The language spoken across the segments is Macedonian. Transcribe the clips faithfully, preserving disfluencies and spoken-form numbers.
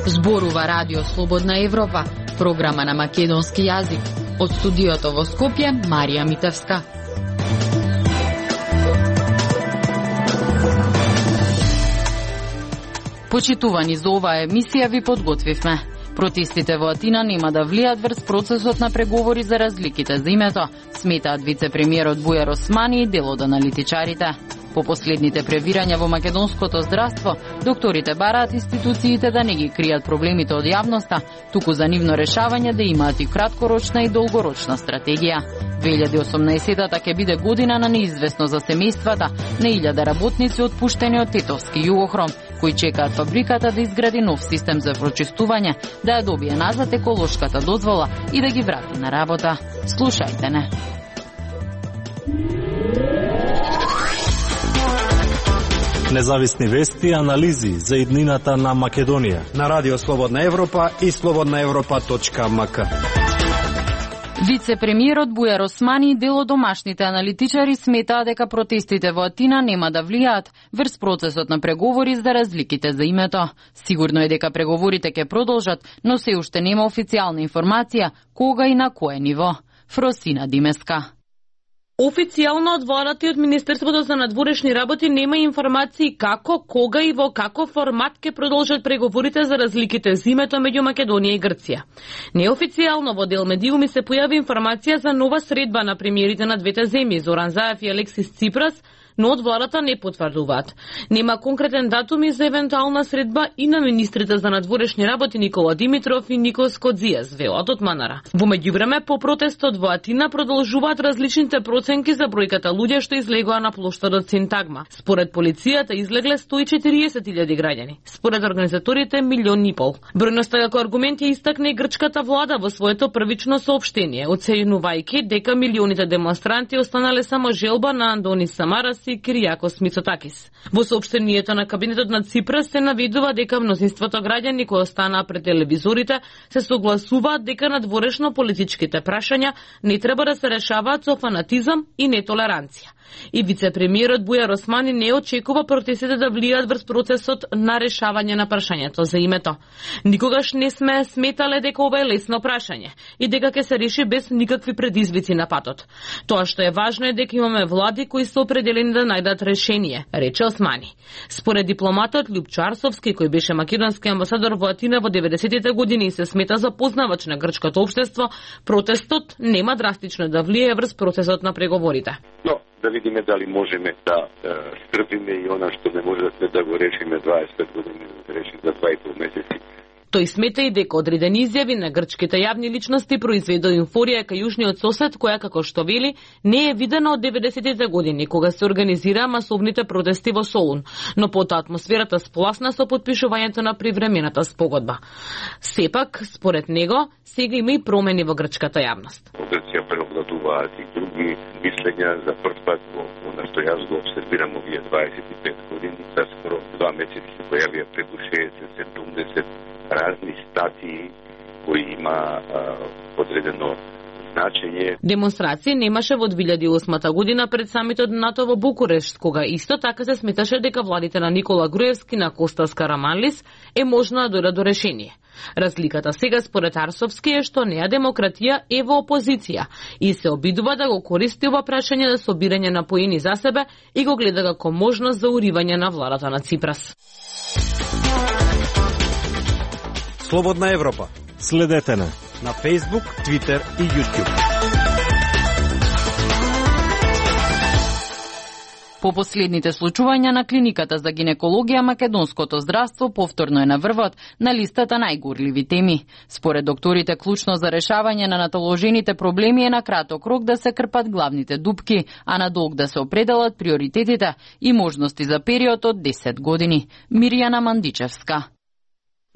Зборува Радио Слободна Европа, програма на македонски јазик. Од студиото во Скопје, Марија Митевска. Почитувани за оваа емисија ви подготвивме. Протестите во Атина нема да влијат врз процесот на преговори за разликите за името, сметаат вице-премиерот Бујар Османи и дел од аналитичарите. По последните превирања во македонското здравство, докторите бараат институциите да не ги кријат проблемите од јавноста, туку за нивно решавање да имаат и краткорочна и долгорочна стратегија. две илјади и осумнаесетата ќе биде година на неизвестно за семејствата на илјада работници отпуштени од Тетовски Југохром, кои чекаат фабриката да изгради нов систем за прочистување, да ја добие назад еколошката дозвола и да ги врати на работа. Слушајте не. Независни вести и анализи за иднината на Македонија на Радио Слободна Европа и слободна европа точка м к. Вице-премиерот Бујар Османи и дел од домашните аналитичари сметаа дека протестите во Атина нема да влијаат врз процесот на преговори за разликите за името. Сигурно е дека преговорите ќе продолжат, но се уште нема официјална информација кога и на кое ниво. Фросина Димеска. Официјално од владата и од Министерството за надворешни работи нема информации како, кога и во каков формат ќе продолжат преговорите за разликите за името меѓу Македонија и Грција. Неофицијално во дел медиуми се појави информација за нова средба на премиерите на двете земји, Зоран Заев и Алексис Ципрас, но од владата не потврдуваат. Нема конкретен датум и за евентуална средба и на министрите за надворешни работи Никола Димитров и Никос Кодзијас, велат од Манара. Во меѓувреме, по протестот во Атина продолжуваат различните проценки за бројката луѓе што излегоа на плоштадот Синтагма. Според полицијата излегле сто и четириесет илјади граѓани. Според организаторите милион и пол. Бројноста како аргумент ја истакне и грчката влада во своето првично соопштение, оценувајќи дека милионите демонстранти останале само желба на Андонис Самарас и Киријакос Мицотакис. Во соопштението на кабинетот на Ципрас се наведува дека мнозинството граѓани кои останаа пред телевизорите се согласуваат дека надворешно политичките прашања не треба да се решаваат со фанатизам и нетолеранција. И вице-премиерот Бујар Османи не очекува протестите да влијат врз процесот на решавање на прашањето за името. Никогаш не сме сметале дека ова е лесно прашање и дека ќе се реши без никакви предизвици на патот. Тоа што е важно е дека имаме влади кои се определени да најдат решение, рече Османи. Според дипломатот Љупчо Арсовски, кој беше македонски амбасадор во Атина во деветдесетите години и се смета за познавач на грчкото општество, протестот нема драстично да влијае врз процесот на преговорите. Но да видиме дали можеме да е, стрпиме и она што не можеме да го решиме дваесет и пет години, да го решиме за два и пол месеци. Тој смета и дека одредени изјави на грчките јавни личности произведоа еуфорија кај јужниот сосед, која, како што вели, не е видена од деветдесетите години, кога се организираа масовните протести во Солун, но потоа атмосферата спласна со подпишувањето на привремената спогодба. Сепак, според него, сега има и промени во грчката јавност. Во Грција преобладуваат и други мислења за прв пат во она што јас го обсервирам овие дваесет и пет години, за скоро два месеци се појавија преку шеесет до седумдесет разни статии кои има а, одредено значење. Демонстрација немаше во две илјади и осма година пред самитот НАТО во Букурешт, кога исто така се сметаше дека владите на Никола Груевски на Костас Караманлис е можно да дојдат до решение. Разликата сега според Арсовски е што неа демократија е во опозиција и се обидува да го користи ова прашање за собирање на поени за себе и го гледа како можност за уривање на владата на Ципрас. Слободна Европа. Следете на на Facebook, Twitter и YouTube. По последните случувања на клиниката за гинекологија, македонското здравство повторно е на врвот на листата најгорливи теми. Според докторите, клучно за решавање на наталожените проблеми е на краток рок да се крпат главните дупки, а на долг да се определат приоритетите и можности за период од десет години. Мирјана Мандичевска.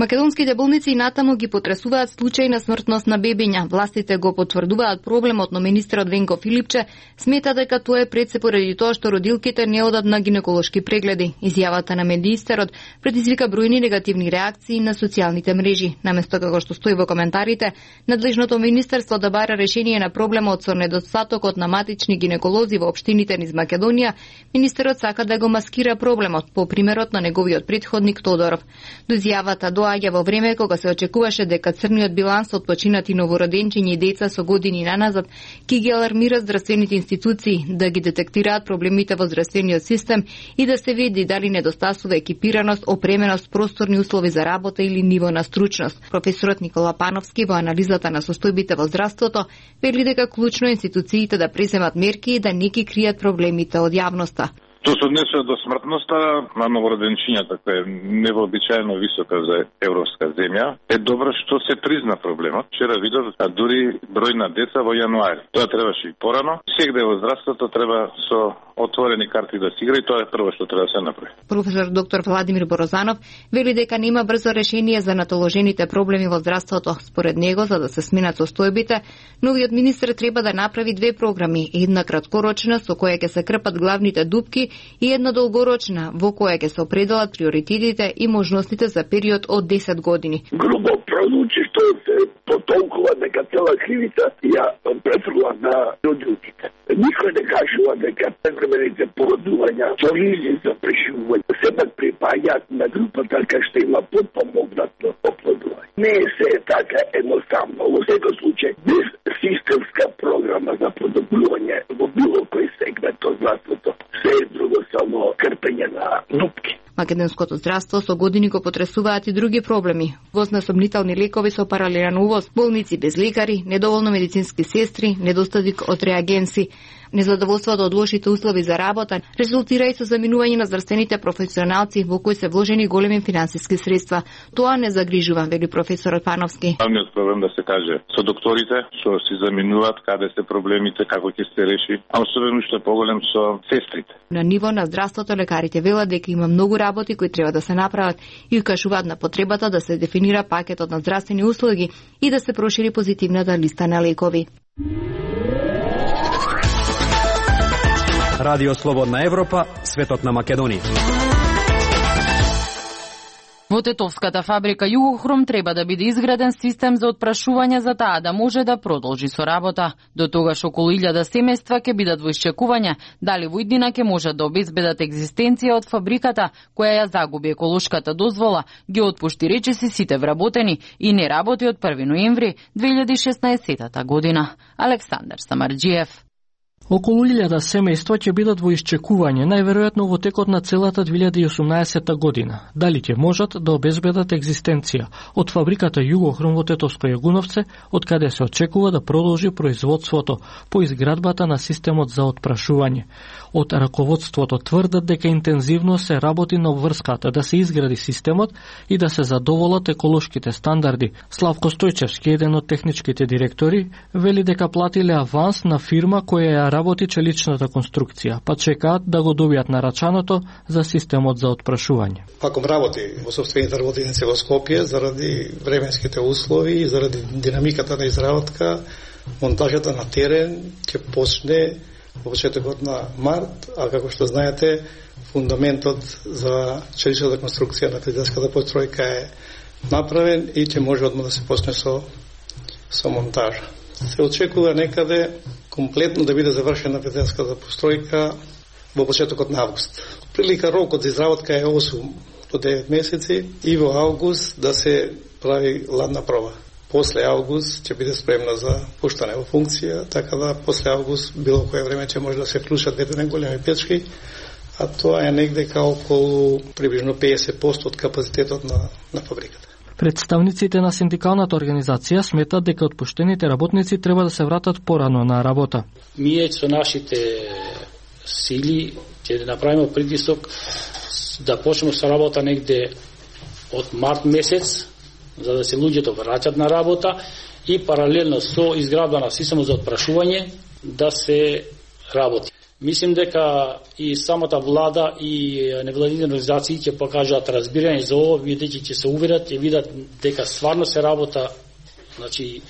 Македонските болници и натаму ги потресуваат случаи на смртност на бебиња. Властите го потврдуваат проблемот, но министерот Венко Филипче смета дека тоа е пред се поради тоа што родилките не одат на гинеколошки прегледи. Изјавата на министерот предизвика бројни негативни реакции на социјалните мрежи. Наместо како што стои во коментарите, надлежното министерство да бара решение на проблемот со недостатокот на матични гинеколози во општините низ Македонија, министерот сака да го маскира проблемот по примерот на неговиот претходник Тодоров. До изјавата доаѓа во време кога се очекуваше дека црниот биланс од починати новороденчиња и деца со години наназад ќе ги алармира здравствените институции да ги детектираат проблемите во здравствениот систем и да се види дали недостасува екипираност, опременост, просторни услови за работа или ниво на стручност. Професорот Никола Пановски во анализата на состојбите во здравството вели дека клучно институциите да преземат мерки и да не ги кријат проблемите од јавноста. Тоа се однесува до смртноста на новороденчињата, која е невообичаено висока за европска земја. Е добро што се призна проблемот. Вчера видов, а дури број на деца во јануари. Тоа требаше и порано. Сегде во здравството треба со отворени карти да се игра и тоа е прво што треба да се направи. Професор доктор Владимир Борозанов вели дека нема брзо решение за натоложените проблеми во здравството. Според него, за да се сменат состојбите, новиот министер треба да направи две програми, една краткорочна со која ќе се крпат главните дупки и една долгорочна во која ќе се определат приоритетите и можностите за период од десет години. Грубо прозвучи што се потолкува дека цела кривица ја префрлува на родилките. Никој не кажува дека превремените породувања со ризи за преживување сепак припаѓаат на групата кај што има подпомогнато оплодување. Не е се така едноставно. Во секој случај, без системска програма за подобрување во било кој сегмент од здравството, се е друго само крпење на дупки. Македонското здравство со години го потресуваат и други проблеми. Воз на сомнителни лекови со паралелен увоз, болници без лекари, недоволно медицински сестри, недостаток од реагенси. Незадоволството од лошите услови за работа резултира и со заминување на здравствените професионалци во кои се вложени големи финансиски средства. Тоа не загрижува, вели професорот Пановски. Главниот проблем да се каже со докторите, што си заминуваат, каде се проблемите, како ќе се реши, а особено што е поголем со сестрите. На ниво на здравството лекарите велат дека има многу работи кои треба да се направат и укажуваат на потребата да се дефинира пакетот на здравствени услуги и да се прошири позитивната листа на лекови. Радио Слободна Европа, светот на Македонија. Во тетовската фабрика Југохром треба да биде изграден систем за отпрашување за таа да може да продолжи со работа. До тогаш околу илјада семејства ќе бидат во исчекување дали во иднина ќе можат да обезбедат екзистенција од фабриката која ја загуби еколошката дозвола, ги отпушти речиси сите вработени и не работи од први ноември две илјади и шеснаесетта година. Александар Самарџиев. Околу илјада семејства ќе бидат во исчекување, најверојатно во текот на целата две илјади и осумнаесетта година. Дали ќе можат да обезбедат екзистенција од фабриката Југохром во Тетовско Јагуновце, од каде се очекува да продолжи производството по изградбата на системот за отпрашување. Од раководството тврдат дека интензивно се работи на обврската да се изгради системот и да се задоволат еколошките стандарди. Славко Стојчевски, еден од техничките директори, вели дека платиле аванс на фирма која ја работи челичната конструкција, па чекаат да го добијат нарачаното за системот за отпрашување. Паком работи во собствените работеници во Скопје заради временските услови и заради динамиката на изработка. Монтажата на терен ќе почне во почетокот на март, а како што знаете, фундаментот за челичната конструкција на фризерската постројка е направен и ќе може одма да се почне со со монтажа. Се очекува некаде комплетно да биде завршена фризерската постројка во почетокот на август. Прилика рокот за изработка е осум до девет месеци и во август да се прави ладна проба. После август ќе биде спремна за пуштане во функција, така да после август било кое време ќе може да се вклучат двете најголеми печки, а тоа е негде као околу приближно педесет проценти од капацитетот на, на фабриката. Представниците на синдикалната организација сметат дека отпуштените работници треба да се вратат порано на работа. Ние со нашите сили ќе направиме притисок да почнеме со работа негде од март месец, за да се луѓето враќат на работа и паралелно со изградба на системот за отпрашување да се работи. Мислим дека и самата влада и невладините организации ќе покажат разбирање за ово, бидејќи ќе се уверат и видат дека стварно се работа, значи,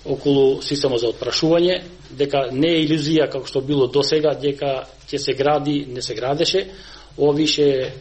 околу системот за отпрашување, дека не е илузија како што било досега, дека ќе се гради, не се градеше. Ова више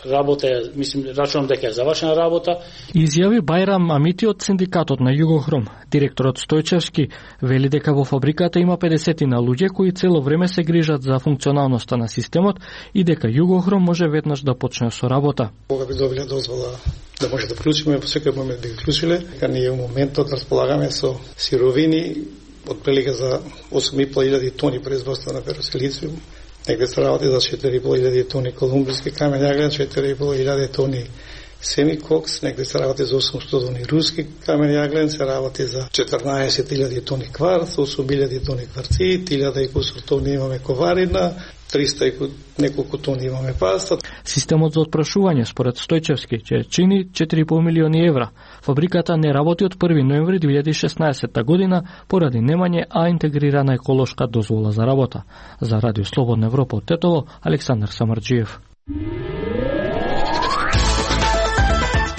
работа, мислим, рачунам дека е завршена работа. Изјави Бајрам Амити од синдикатот на Југохром. Директорот Стојчевски вели дека во фабриката има педесетина луѓе кои цело време се грижат за функционалноста на системот и дека Југохром може веднаш да почне со работа. Кога би добиле дозвола да може да вклучиме, во секој момент би вклучиле, дека ние во моментот располагаме со сировини отприлика за осум и пол илјади тони производство на феросилициум. Негде се работи за четири и пол илјади тони колумбиски камен јаглен, четири и пол илјади тони семикокс, негде се работи за осумстотини тони руски камен јаглен, се работи за четрнаесет илјади тони кварц, осум илјади тони кварцит, илјада и кусур тони имаме коварина, триста и неколку тони имаме паста. Системот за отпрашување според Стојчевски ќе чини четири и пол милиони евра. Фабриката не работи од први ноември две илјади и шеснаесетта година поради немање а интегрирана еколошка дозвола за работа. За Радио Слободна Европа од Тетово, Александар Самарџиев.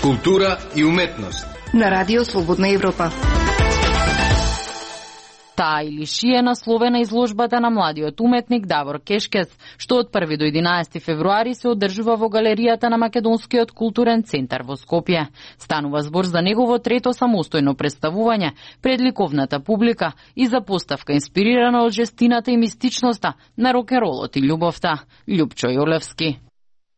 Култура и уметност на Радио Слободна Европа. Таа или ши е насловена изложбата на младиот уметник Давор Кешкец, што од први до единаесети февруари се одржува во галеријата на Македонскиот културен центар во Скопје. Станува збор за негово трето самостојно представување пред ликовната публика и за поставка инспирирана од жестината и мистичноста на рок-н-ролот и љубовта. Љупчо Јолевски.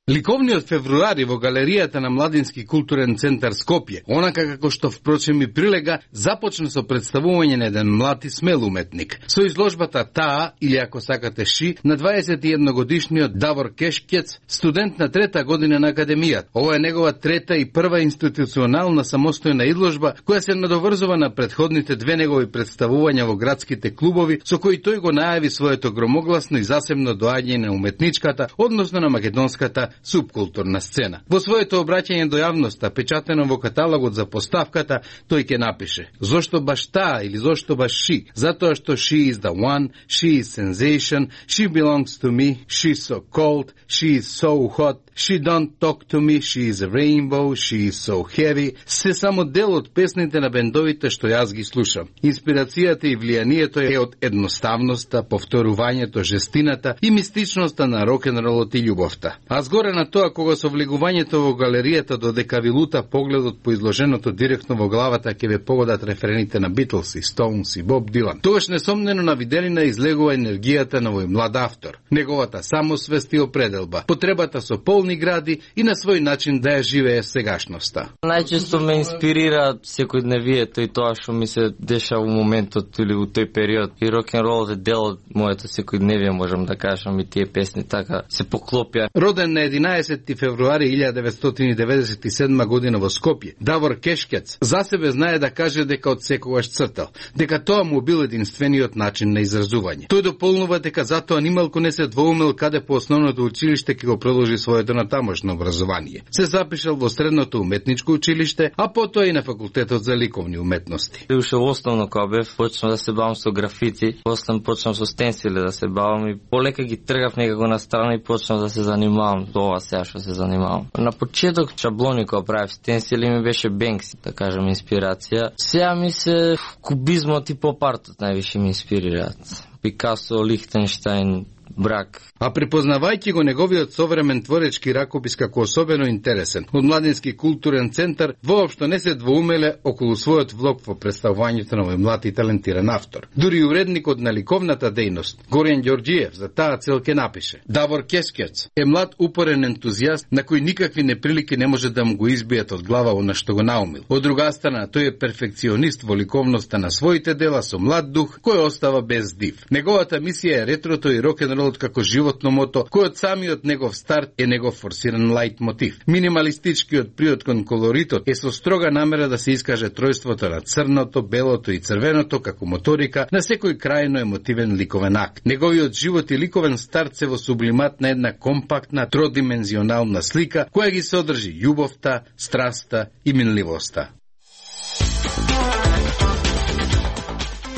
Ликовниот февруари во галеријата на Младински културен центар Скопје, онака како што впрочем и прилега, започна со представување на еден млад и смел уметник. Со изложбата Таа, или ако сакате Ши, на дваесет и едногодишниот Давор Кешкец, студент на трета година на академијата. Ова е негова трета и прва институционална самостојна изложба, која се надоврзува на претходните две негови представувања во градските клубови, со кои тој го најави своето громогласно и засебно доаѓање на уметничката, односно на македонската субкултурна сцена. Во своето обраќање до јавноста, печатено во каталогот за поставката, тој ќе напише: зошто баш таа или зошто баш ши? Затоа што she is the one, she is sensation, she belongs to me, she's so cold, she is so hot, she don't talk to me, she is a rainbow, she is so heavy. Се само дел од песните на бендовите што јас ги слушам. Инспирацијата и влијанието е од едноставноста, повторувањето, жестината и мистичноста на рок-н-ролот и љубовта. А згоре на тоа, кога со влегувањето во галеријата додека ви лута погледот по изложеното директно во главата ќе ве погодат референите на Битлс и Стоунс и Боб Дилан. Тогаш несомнено на виделина излегува енергијата на овој млад автор, неговата самосвест и определба, потребата со полни гради и на свој начин да ја живее сегашноста. Најчесто ме инспирира секојдневието и тоа што ми се деша во моментот или во тој период. И рок-н-ролот е дел од моето секојдневие, можам да кажам, и тие песни така се поклопја. Роден на единаесети февруари илјада деветстотини деветдесет и седма година во Скопје, Давор Кешкец за себе знае да каже дека од секогаш цртал, дека тоа му бил единствениот начин на изразување. Тој дополнува дека затоа нималку не се двоумел каде по основното училиште ќе го продолжи своето натамошно образование. Се запишал во средното уметничко училиште, а потоа и на факултетот за ликовни уметности. Уште основно кога бев, почнав да се бавам со графити, после почнав со стенсили да се бавам и полека ги тргав некако на страна и почнав да се занимавам тоа сега што се занимавам. На почеток шаблони кога правев стенсили ми беше Бенкси, да кажам, инспирација. Сега ми се кубизмот и поп-артот највише ми инспирираат. Пикасо, Лихтенштајн, Брак. А препознавајќи го неговиот современ творечки ракопис како особено интересен, од Младински културен центар воопшто не се двоумеле околу својот влог во представувањето на овој млад и талентиран автор. Дури уредникот на ликовната дејност, Горјан Ѓорѓиев, за таа цел ке напише: Давор Кешкец е млад упорен ентузијаст на кој никакви неприлики не може да му го избијат од глава она што го наумил. Од друга страна, тој е перфекционист во ликовноста на своите дела со млад дух кој остава без див. Неговата мисија е ретрото и рок-н-ролот како животно мото, кој од самиот негов старт е негов форсиран лајт мотив. Минималистичкиот приод кон колоритот е со строга намера да се искаже тројството на црното, белото и црвеното како моторика на секој крајно емотивен ликовен акт. Неговиот живот и ликовен старт се во сублимат на една компактна, тродимензионална слика која ги содржи љубовта, страста и минливоста.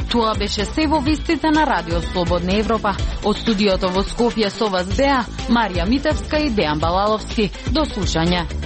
Тоа беше се во вестите на Радио Слободна Европа. Од студиото во Скопје со вас беа Марија Митевска и Дејан Балаловски. До слушање.